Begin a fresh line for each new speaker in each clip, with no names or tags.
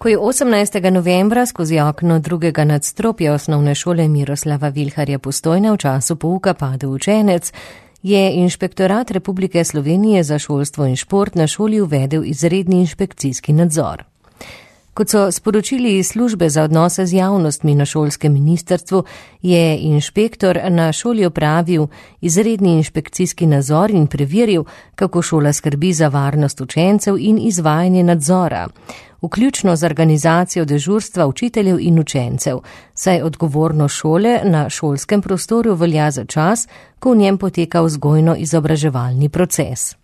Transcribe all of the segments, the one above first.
Ko je 18. novembra skozi okno drugega nadstropja osnovne šole Miroslava Vilharja Postojna v času pouka padel učenec, je Inšpektorat Republike Slovenije za šolstvo in šport na šoli uvedel izredni inšpekcijski nadzor. Kot so sporočili iz službe za odnose z javnostmi na šolskem ministrstvu, je inšpektor na šoli opravil izredni inšpekcijski nadzor in preveril, kako šola skrbi za varnost učencev in izvajanje nadzora, vključno z organizacijo dežurstva učiteljev in učencev, saj odgovornost šole na šolskem prostoru velja za čas, ko v njem poteka vzgojno-izobraževalni proces.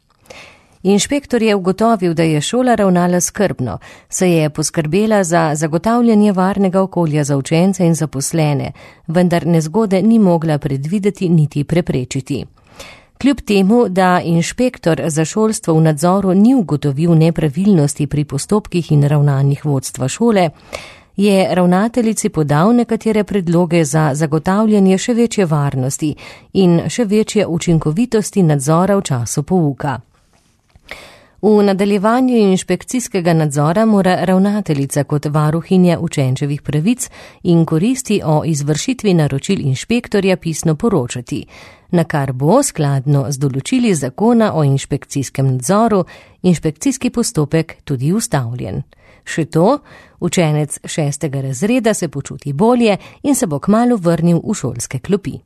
Inšpektor je ugotovil, da je šola ravnala skrbno, saj je poskrbela za zagotavljanje varnega okolja za učence in zaposlene, vendar nezgode ni mogla predvideti niti preprečiti. Kljub temu, da inšpektor za šolstvo v nadzoru ni ugotovil nepravilnosti pri postopkih in ravnanjih vodstva šole, je ravnateljici podal nekatere predloge za zagotavljanje še večje varnosti in še večje učinkovitosti nadzora v času pouka. V nadaljevanju inšpekcijskega nadzora mora ravnateljica kot varuhinja učenčevih pravic in koristi o izvršitvi naročil inšpektorja pisno poročati, na kar bo skladno z določili zakona o inšpekcijskem nadzoru inšpekcijski postopek tudi ustavljen. Še to, učenec 6. razreda se počuti bolje in se bo kmalu vrnil v šolske klopi.